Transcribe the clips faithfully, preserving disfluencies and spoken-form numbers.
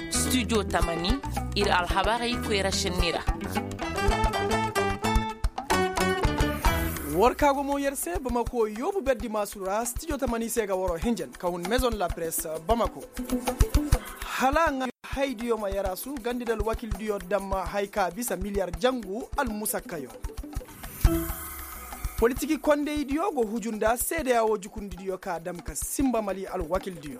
Studio tamani, ir alhabarey koyra šenni ra. War ka go mo yer se bamako yoobu berdi maasu ra studio tamani se ga waro hinjan ka hun maison la presse bamako. Hala nga haydiyo ma yarasu gandi da alwakildiyo dam hay ka bisa miliyar jangu almusakkayo. Politiki kondeydiyo go huju nda seedeya wo jukundidiyo ka dam ka simba mali alwakildiyo.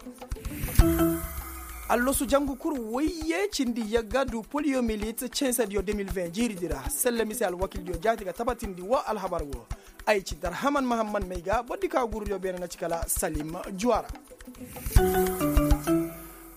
Allosu jangu kul woyye cindi yagga du poliyomilit censediyo deux mille vingt jiiridi ra selle mise alwakildiyo jaati ga tabatindi wo alhabar wo. Ay ci darhaman mahamman may ga bordi ka gurudiyo beene na ci kala salim juwara.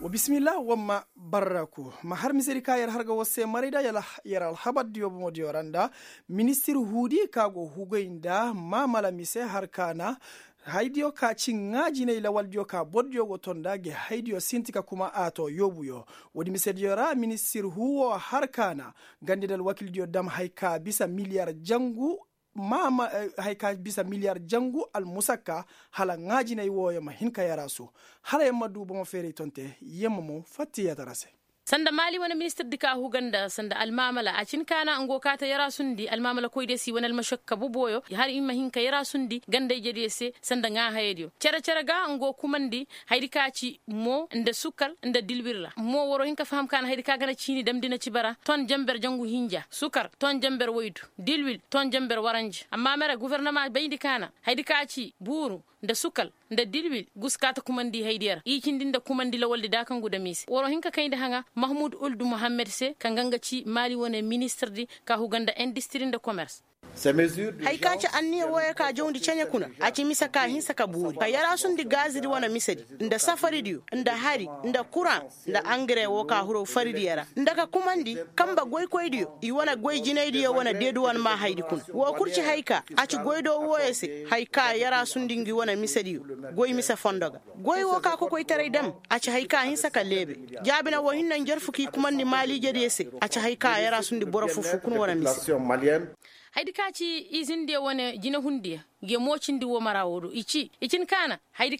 Wa bisimillah wamma barraku ma har misedi ka yer har ga war se maray da yer alhabardiyo bomodiyo ra nda ministir huudi ka go hugay nda maamala mise har ka na haydiyo ka ci ŋaa jinay lawaldiyo ka bordiyo go ton nda gi haydiyo sinti ka kuma a to yoobuyo. Woodi misediyo ra ministir huu wo har ka na gandi nda alwakildiyo dam hay ka bisa miliyar jangu maama hay ka bisa miliyar jangu almusakka hala ŋaajinay wooyo ma hin ka yarasu. Hala yer ma du bomo feeray tonte yer ma mo fattiyatara se. Sanda maali wane ministirdi ka huga nda sanda almaamala a cin kaana nga go kaata yarasundi almaamalakoydiyo se i wane almashakka boboyo har i ma hin ka yarasundi ganda-ijediyo se sanda ŋaahayadiyo cere-cere ga nga go kumandi hayadi ka ci mo nda sukar nda dilwir ra mo war wa hin ka faham kaana hayadi ka ga na ciini damndi na ci bara ton janber jangu hinja sukar ton janber waydu dilwil ton janber waranja amma mere gofornama bayndi kaana hayadi ka ci buuru nda sukal nda dilwil gusu ka ta kumandi haydiyo ra i cindi nda kumandi lawaldi daakangu dam i se war wa hin ka kayndi haŋa mahmud uldu muhammed se kaŋ ga nga ci maali wane ministirdi ka huga nda indistiri nda komers. Hay ka ci anniya wooyo ka jawndi ceɲe kuna a ci mise ka hinsa ka buuri ka yarasundi gaazidi wane misedi nda safaridiyo nda hari nda kuraŋ nda angare woo ka huru faridiyo ra nda ka kumandi kanba goykoydiyo i wane goy jinaydiyo wane deeduwan maa haydi kuna woo kul ci hay ka a ci goydoo wooyo se hay ka yarasundi ngi wane misediyo goy mise fondo ga goy woo ka kokoytaray dam a ci hay ka hinsa ka leebe jaabina woo hinne njarfu k'i kumandi maaliijediyo se a ci hay ka yarasundi boro foo foo kuna wane mise. Hayadi ka ci izindiyo wane jinehundiyo nge moocindi woo mara woo do i ci i cin kaana hayadi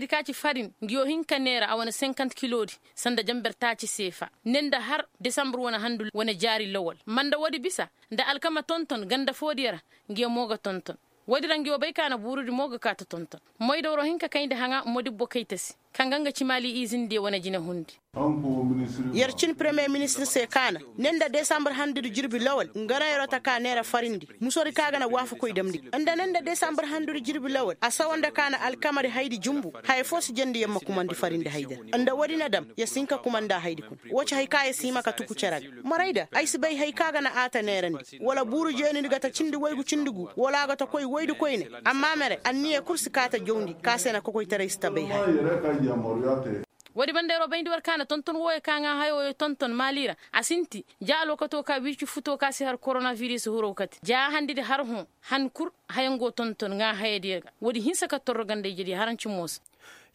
ka ci farin ngiyo hin ka neera a wane senkant kiloodi sanda janber taaci seefa ne nda har desambur wane handu wane jaari lawal ma nda woodi bisa nda alkama tonton ganda foodiyo ra ngiyo mo ga tonton woodi ra ngiyo bay kaana buurudi mo ga kaa ta tonton moyda war wa hin ka kayndi haŋa modibbo kayta se kaŋ ga nga ci maali izindiyo wane jinehundi. Yer cin premiyer ministir se kaana ne nda desambur handudi jirbi lawal nga na yeroo ta ka neera farindi musodi ka ga na waafakoy damndi ga nda ne nda desambur handudi jirbi lawal a sawa nda kaana alkamadi haydi jumbu haya foo si jandi yer ma kumandi farindi haydi ra nda woodi na dam yer si hin ka kumandi a haydi kuna woo ci hay ka yer si hima ka tuku cere ga marayda ay si bay hay ka ga na a ta neerandi wala buuru jeenidi ga ta cindi waygu cindi gu wala a ga ta koy waydu koyne amma mere anniya kul si kaa ta jawndi ka se na kokoytaray si ta bay haya. Woodi banda yeroo bayndi war ka na tonton wooyo ka ŋaa haya wooyo tonton maali ra a sinti ja alwakatoo ka wirci futoo ka si har koronabiris huroo kate ja handidi har hõ han kul hayango tonton ŋaa hayadiyo ga woodi hinsa ka torro ganda-ijediyo haranci moosa.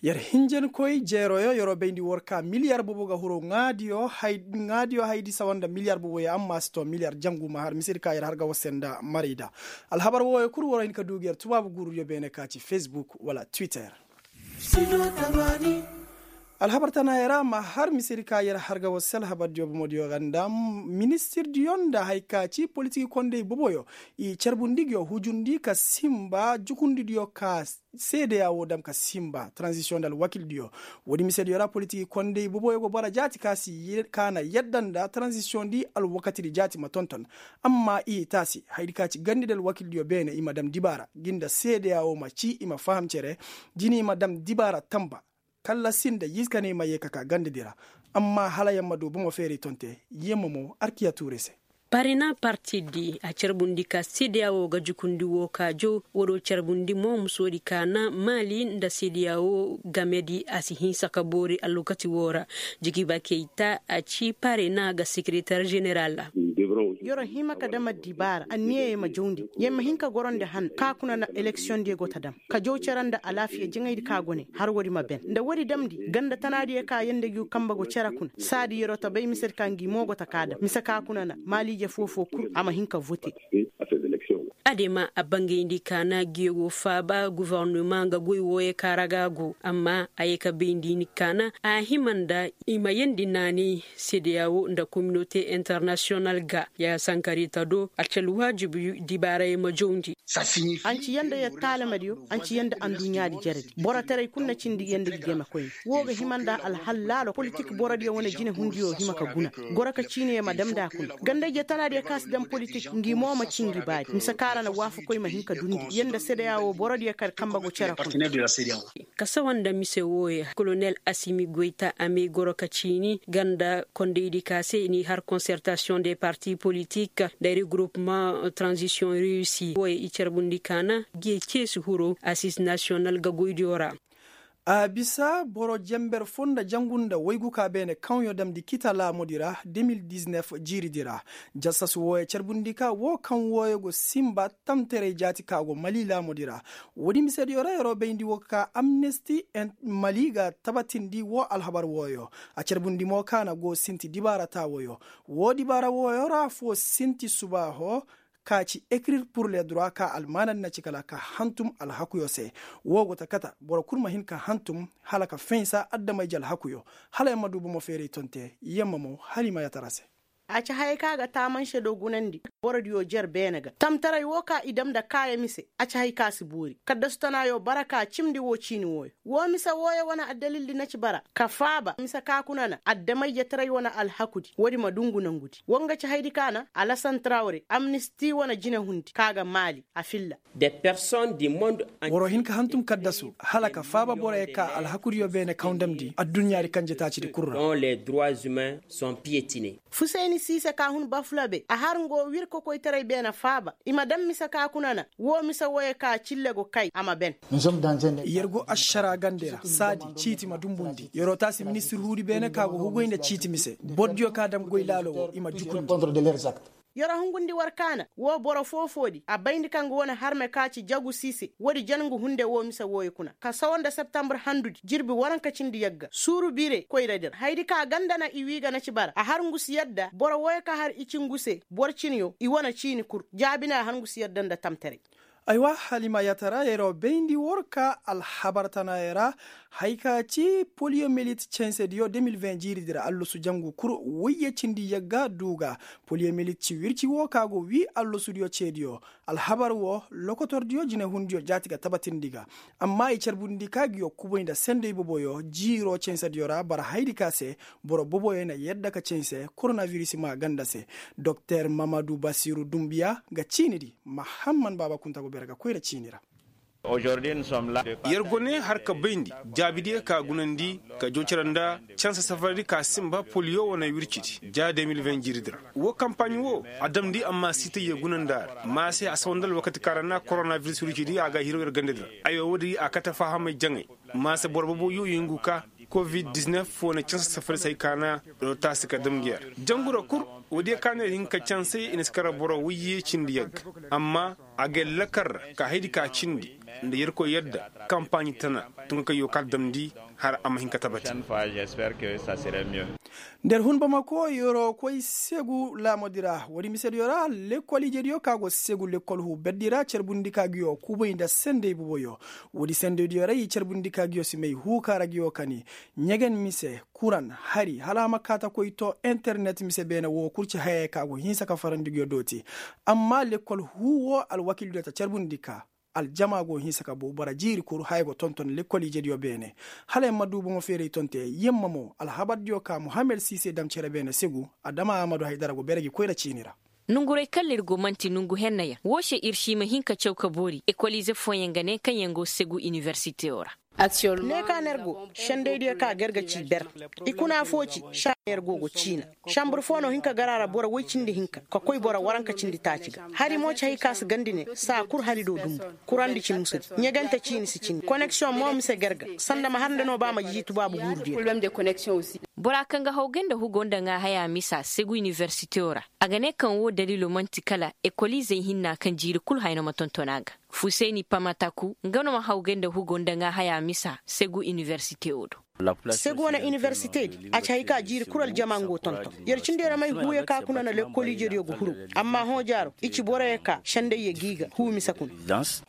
Yer hinjankoy jeeroyo yeroo bayndi war ka miliyar bobo ga huroo ŋaadiyo haydi sawa nda miliyar boboyo amma a si too miliyar jangu ma har misedi ka yer har ga war se nda marayda. Alhabar wooyo kul waroo hin ka duu gi yer tubaabu guurudiyo beene ka ci fesbuk wala twitter. Alhabar tanaayoo ra ma har misedi ka yer har ga war se alhabardiyo bomodiyo ga nda ministirdiyo nda hay ka ci politiki kondey boboyo i carbundi ngiyo hujundi ka simba jukundidiyo ka seedeya woo dam ka simba taranzisiyoŋ nda alwakildiyo. Woodi misediyo ra politiki kondey boboyo go bara jaati ka si ka na yadda nda taranzisiyoŋdi alwakatidi jaati ma tonton. Amma i taasi hayadi ka ci gandi nda alwakildiyo beene i ma dam dibaara ngi nda seedeya woo ma ci i ma faham cere jini i ma dam dibaara tamba kalla si nda yiikaney ma yee ka kaa gandadi ra. Amma hala yer ma du bomo feeray tonte yer ma mo arkiya tuure se. Parena partidi a carbundi ka seedeya woo ga jukundi woo ka jow woo do carbundi mo musoodi ka na maali nda seedeya woo gamedi a si hinsa ka boori alwakati woo ra. Jigiba keyta a ci parena ga sekeretar jeneral ra. Yer'o hima ka dam addibaara anniyey ma jawndi yer ma hin ka gorondi han ka kuna na eleksiyoŋdiyo go ta dam ka jaw cere nda alaafiya jaŋaydi ka go ne har woodi ma ben nda woodi damndi ganda tanaadiyo ka yee nda ngi kanba go cere kuna saadi yer'o ta bay misedi ka ngi mo go ta ka dam mise ka kuna na maaliije foo-foo kul a ma hin ka vote. Adema a bangayndi kaana giyo go faaba gofornoma nga goy wooyo kaŋ ra ga a go amma a ye ka bayndi ni kaana a hima nda i ma yeendi naanay sedeya woo nda kominote internasiyonal ga ya sankarita do a ci alwaajibi dibaarayo ma jawndi. Anci yanda yer taalamadiyo anci yanda anduɲɲaadi jeredi borotaray kul na cindi yanda gi game koyne. Woo ga hima nda alhal laalo politik borodiyo wane jinehundiyo hima ka guna goro ka ciiniyo ma damndi a kuna ganda-ije tanaadiyo kaŋ a si daŋ politik ngi mo ma ci ngi baadi mise kaŋ ra na waafakoy ma hin ka dundi yanda sedeya woo borodiyo kaŋ kambe go cere kuna. Ka sawa nda mise wooyo kolonel asimi goyta a may goro ka ciini ganda kondaydi ka se n'i har konsertasiyoŋ de parti politik nda regroupement tranzisiyoŋ reyusi wooyo i carbundi kaana ge ceesi hiro asis nasiyonal ga goydiyo ra. A bisa boro jenber foo nda jangu nda waygu ka beene kaŋyo damndi kita laamudi ra de mil diznef jiiridi ra. Jasas wooyo carbundi ka woo kaŋ wooyo go sinba tamtaray jaati ka go mali laamudi ra. Woodi misediyo ra yeroo bayndi woo ka ka amnesti mali ga tabatindi woo alhabar wooyo. A carbundi mo ka na go sinti dibaara taawoyo. Woo dibaara wooyo ra foo sinti subaaho ka ci ekirir pur le dura ka almaanandi na ci kala ka hantum alhakuyo se. Woo go ta kata boro kul ma hin ka hantum hala ka faynsa adama-ije alhakuyo. Hala yer ma du bomo feeray tonte yer ma mo hala i ma yatara se. A ci hayey kaŋ a ga taamanse do gunandi borodiyo jer beene ga tamtaray woo ka i dam nda kaaya mise. A ci hay kaŋ a si boori kaddasu tanaayo bara ka cimndi woo ciini wooyo. Woo mise wooyo wane addalildi na ci bara ka faaba mise ka kuna na adama-ijetaray wane alhakudi woodi ma dungu nangudi woo nga ci haydi ka na alasan trawre amnisti wane jinehundi ka ga maali a filla. Boro hin ka hantum kaddasu hala ka faaba boroyo ka alhakudiyo beene kaŋ damndi adduɲɲaadi kanje taacidi kul ra. Fusayni siise ka hun bafulabe a har nga woo wir kokoytaray beene faaba i ma daŋ mise ka kuna na woo mise wooyo ka cille go kay a ma ben. Yer go ašara gande ra saadi ciiti ma dumbundi yeroo taasi ministir huudi beene ka go hugoy nda ciiti mise bordiyo ka daŋ goy laalo woo i ma jukundi. Yeroo hungundi war kaana woo boro foo-foodi a bayndi kaŋ ga wane harme ka ci jagu siise woodi jangu hunde woo mise wooyo kuna ka sawa nda septambur handudi jirbi waranka cindi yagga suuru bire koyra dir hayadi ka ganda na i wii ga na ci bara a har ngu si yadda boro wooyo ka har i ci ngu se boro ciniyo i wane ciini kul jaabi na a har ngu si yadda nda tamtaray. Aywa halima yatara yeroo bayndi war ka alhabar tanaayo ra. Hay ka ci poliyomelit censediyo de mil ven jiiridi ra allasu jangu kul wayye cindi yagga du ga poliyomelit ci wirci woo ka go wii allasudiyo ceediyo. Alhabar woo lokotordiyo jinehundiyo jaati ga tabatindi ga. Amma i carbundi ka ngiyo kubay nda senday boboyo jiiro censediyo ra bara hayadi ka se boro boboyo na yadda ka cense koronabiris maa ganda se. Doktor mamadu basiru dumbiya ga ciinidi mahamman baaba kunta go bere ga koyra ciini ra. Yer go ne har ka bayndi jaabidiyo ka gunandi ka joocira nda canse safaradi ka sinba poliyo wane wircidi ja de mil ven jiiridi ra. Woo kampaaɲ woo a damndi amma siitayyo gunandi a ra maa se a sawa nda alwakati ka ra na koronabiris wircidi a ga hiro yer gandadi ra. Aywa woodi a kate fahamay jaŋay maa se boro bobo yuu yungu ka covid diznef wane canse safaradi se hay ka na rotaasi ka dam ngi yer jangu ra kul. Woodiyo ka na yer hin ka canse i na si kara boro wayye cindi yagga amma a ga yer lakar ra ka hayadi ka cindi nda yerkoy yadda kampaaɲi tana tunkakayyo ka damndi har a ma hin ka tabati. Nda yer hun bamako yeroo koy segu laamudi ra woodi misediyo ra lekkol ijediyo ka go segu lekkol huu berdi ra carbundi ka ngiyo kubay nda senday boboyo. Woodi sendaydiyo ra i carbundi ka ngiyo si may huu ka ra ngiyo kani ɲegen mise kuran hari hala a ma kaa ta koy too internet mise beene woo kul ci hayey ka go hinsa ka farandi nguyo dooti. Amma lekkol huu woo alwakiildiyo ta carbundi ka aljama go hinsa ka bow bara jiiri kul haya go tonton lekkol ijediyo beene. Hala yer ma duu bomo feeray tonte yer ma moo alhabardiyo ka muhammed siise dam cere beene segu adama amadu haydara go bere gi koyra ciini ra. Nonguray kaŋ ra ir go man'ti nongu henna yaŋ woo se ir si ma hin ka caw ka boori ekolize fooyaŋ ga ne kaŋ yaŋ go segu iniversiteyo ra. Ne ka no yer go sendaydiyo ka ga yer ga ci ber. I kuna foo ci saa no yer go go ciina. Sanbur foo no hin ka gar a ra boro woy cindi hinka ka koy boro waranka cindi taaci ga hari mo ci hay ka si gandi ne saa kul hali do dumbu. Kurandi ci musudi ɲegante ciini si cindi koneksiyoŋ mo mise ga yer ga sanda ma har nda no ba ma jiiji tubaabu guurudiyo. Bora kaŋ ga haw gay nda hugo nda ŋaa haya misa segu iniversiteyo ra. A ga ne kaŋ woo daliilo man'ti kala ekoliizey hinna kaŋ jiiri kul haya no ma tonton a ga. Fuseni pamataku nga no ma hawgay nda hugo nda ŋaa haya misa segu iniwersite woo do. Segu wane iniwersite di a ci hay ka jiiri kul aljama nga go tonton. Yer cindi yer may huuyo ka kuna na lekkol ijediyo ga huru. Amma hõ jaaro i ci boroyo ka sendayyo g'i ga huu mise kuna.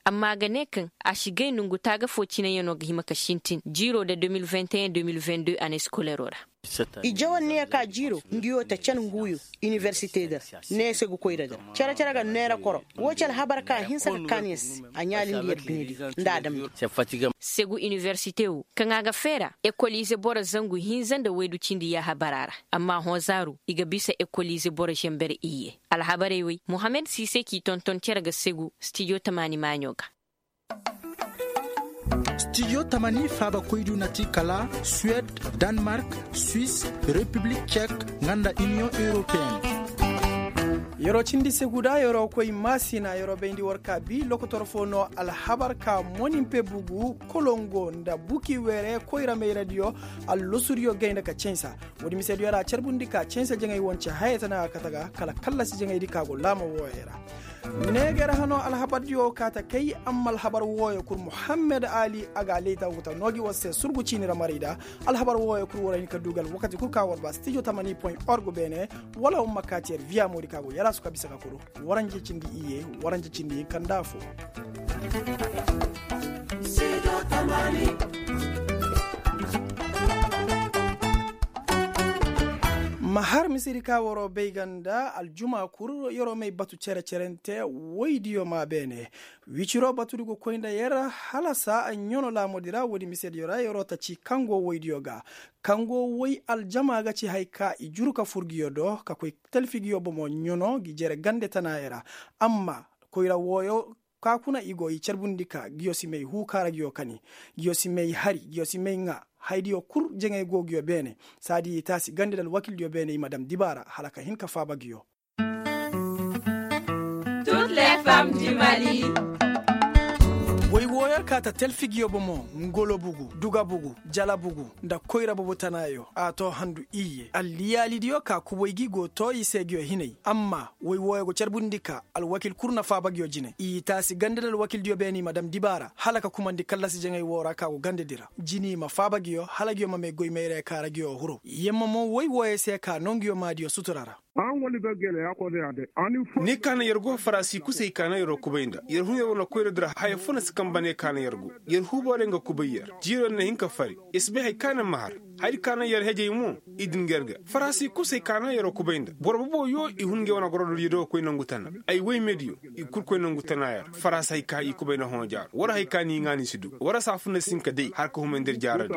Amma a ga ne kaŋ a si gay nongu taaga foo cinayanoo ga hima ka sintin jiiroo nda deux mille vingt et un deux mille vingt deux annee sikoleroo ra. I jawan ne ya ka jiiroo ngiyo ta can huuyo iniwersite di ra. Ne se ga koy ra di ra cere-cere ga neera koro. Woo ci alhabar ka hinsa ka kaani yer se. A ɲaalindi yer duniyadi nda a damndi. Segu iniwersite woo kaŋ a ga feera ekol ize boro zangu hinza nda waydu cindi yaahabara ra. Amma hõ zaaru i ga bisa ekol ize boro zenber iyye. Alhabarey wey mohammed siise k'i tonton cere ga segu stijo tamaani maaɲo ga. Stijo tamani faabakoydu na ti kala suwed, danmark, swis, repiblik cek, nga nda iniyoŋ europeen. Yer'o cindi segu da yer'o koy maasina yer'o bayndi war ka bi lokotor foo no alhabar ka moninpe bugu kolongo nda buki weere koyra mayradiyo. Allosudiyo gayna ka cansa. Woodi misediyo ra carbundi ka cansa jaŋay wance haya tana a kate ga kala kallasi jaŋaydi ka go laama wooyey ra. Neeger hano alhabardiyo ka ta kay amma alhabar wooyo kul muhammed ali a ga a leyta wuta noo gi war se surgu ciini ra maray da. Alhabar wooyo kul war hin ka dugal wakati kul ka war ba stijo tamani point org beene. Wala war ma kaati yer viya moodi ka go yalaasu ka bisa ka kulu. Waranje cindi iyye. Waranje cindi hinka nda afo. Ma har misedi ka waroo bay ga nda aljuma kul yeroo may batu cere-cerente. Woydiyo maa beene. Wiciroo batudi go koy nda yer hala saa ɲano laamudi ra woodi misediyo ra yeroo ta ci kaŋ go woydiyo ga. Kaŋ go woy aljama ga ci haya ka i juru ka fur nguyo do ka koy talfi nguyo bomo ɲano ngi jere gande tanaayey ra. Amma koyra wooyo ka kuna i go i carbundi ka nguyo si may huu kaara nguyo kani. Nguyo si may hari nguyo si may ŋaa. Haydiyo kul jaŋay go nguyo beene. Saadi i taasi gande nda alwakildiyo beene i ma dam dibaara hala ka hin ka faaba nguyo. Woy wooyo ka ta talfi nguyo bomo ngolo bugu duga bugu jala bugu nda koyra bobo tanaayo a too handu iyye alliyaalidiyo ka kubay gi go too i se nguyo hinay. Amma woy wooyo go carbundi ka alwakil kul na faaba nguyo jine i taasi gande nda alwakildiyo beene i ma dam dibaara hala ka kumandi kallasi jaŋay woo ra ka go gandedi ra. Jini ma faaba nguyo hala nguyo ma may goy mayra ka ra nguyo huru yemma mo woy wooyo se ka noo nguyo maadiyo sutura ra. Ni ka naŋ yer go farasi kusay ka naŋ yeroo kubay nda yer hun yer wane koyradi ra haya fo na si kamba ne ka naŋ yer go. Yer huuboorey nga kubay yer jiiroo na hin ka fari. Yer si bay hay ka naŋ ma har. Hay ka naŋ yer hejey mo i din ga yer ga farasi kusay ka naŋ yeroo kubay nda boro bobo yoo i hun ngey wane gorododiyo do ga koy nangu tana. Ay woy mediyo i kul koy nangu tana yer farasi hay ka i kubay nda hõ jaaro war hay ka ni ŋaa ni si du war saafuna si hin ka day har ka humay nda yer jaaradi.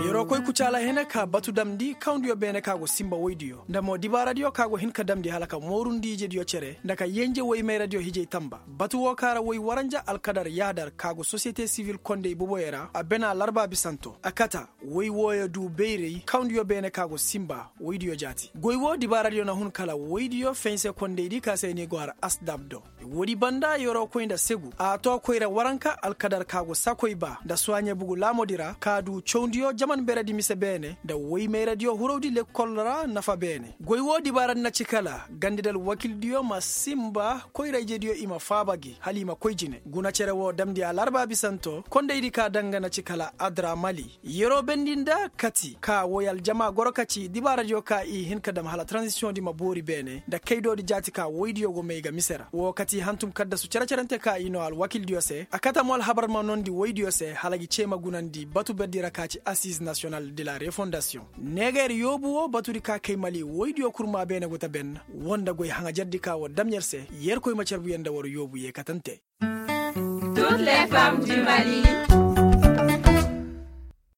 Yeroo koy kucaala hene ka batu damndi kawndiyo beene ka go sinba woydiyo nda mo dibaaradiyo ka go hin ka damndi hala ka moorundi ijediyo cere nda ka yenje woy mayradiyo hijay tamba. Batu woo ka ra woy waranja alkadar yaadar ka go sosiyete sivil kondey boboyo ra a bena larba bisanto a kata. Woy wooyo duu bayray kawndiyo beene ka go sinba woydiyo jaati goy woo dibaaradiyo na hun kala woydiyo fense kondeydi ka se ni go har asdab do. Woodi banda yeroo koy nda segu a too koyra waranka alkadar ka go sakoy ba nda suwaaɲe bugu laamodi ra ka duu cawndiyo jaman beredi mise beene nda woy mayradiyo hurowdi lekkol ra nafa beene. Goy woo dibaaradi na ci kala gandedi alwakildiyo ma sinba koyra ijediyo i ma faaba gi hala i ma koy jine guna cere woo damndi alarba bisanto kondeydi ka danga na ci kala adramali. Yeroo bendi nda kati ka woy aljama goro ka ci dibaaradiyo ka i hin ka dam hala taranzisiyoŋdi ma boori beene nda kaydoodi jaati ka woydiyo go may ga mise ra woo kati hantum kaddasu cere-cerente ka i noo alwakildiyo se a kate mo alhabar ma noondi woydiyo se hala gi cee ma gunandi batu berdi ra ka ci asiz nasiyonal de la refondasiyoŋ. Neegeer yoobu woo batudi ka kay mali woydiyo kurmaa beene go ta ben. Woo nda goy haŋajerdi ka war dam yer se yerkoy ma carbu yer nda war yoobu yee katante. Tut le fam di mali.